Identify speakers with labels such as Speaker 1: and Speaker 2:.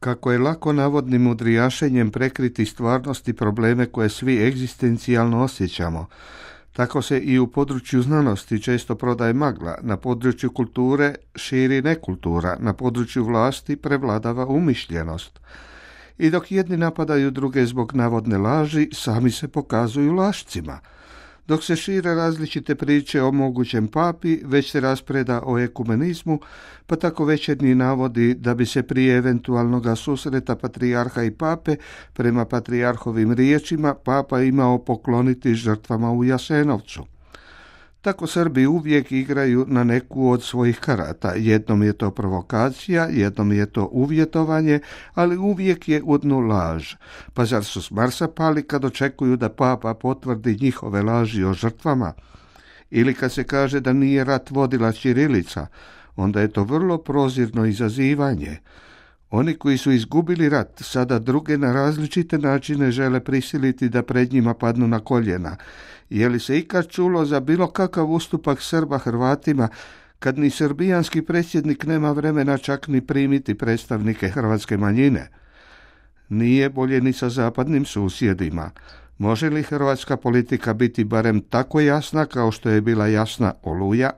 Speaker 1: Kako je lako navodnim mudrijašenjem prekriti stvarnosti probleme koje svi egzistencijalno osjećamo, tako se i u području znanosti često prodaje magla, na području kulture širi nekultura, na području vlasti prevladava umišljenost. I dok jedni napadaju druge zbog navodne laži, sami se pokazuju lašcima. Dok se šire različite priče o mogućem papi, već se raspreda o ekumenizmu, pa tako Večernji navodi da bi se prije eventualnoga susreta patrijarha i pape, prema patrijarhovim riječima, papa imao pokloniti žrtvama u Jasenovcu. Tako Srbi uvijek igraju na neku od svojih karata. Jednom je to provokacija, jednom je to uvjetovanje, ali uvijek je u dnu laž. Pa zar su s Marsa pali kad očekuju da papa potvrdi njihove laži o žrtvama? Ili kad se kaže da nije rat vodila ćirilica, onda je to vrlo prozirno izazivanje. Oni koji su izgubili rat sada druge na različite načine žele prisiliti da pred njima padnu na koljena. Je li se ikad čulo za bilo kakav ustupak Srba Hrvatima, kad ni srbijanski predsjednik nema vremena čak ni primiti predstavnike hrvatske manjine? Nije bolje ni sa zapadnim susjedima. Može li hrvatska politika biti barem tako jasna kao što je bila jasna Oluja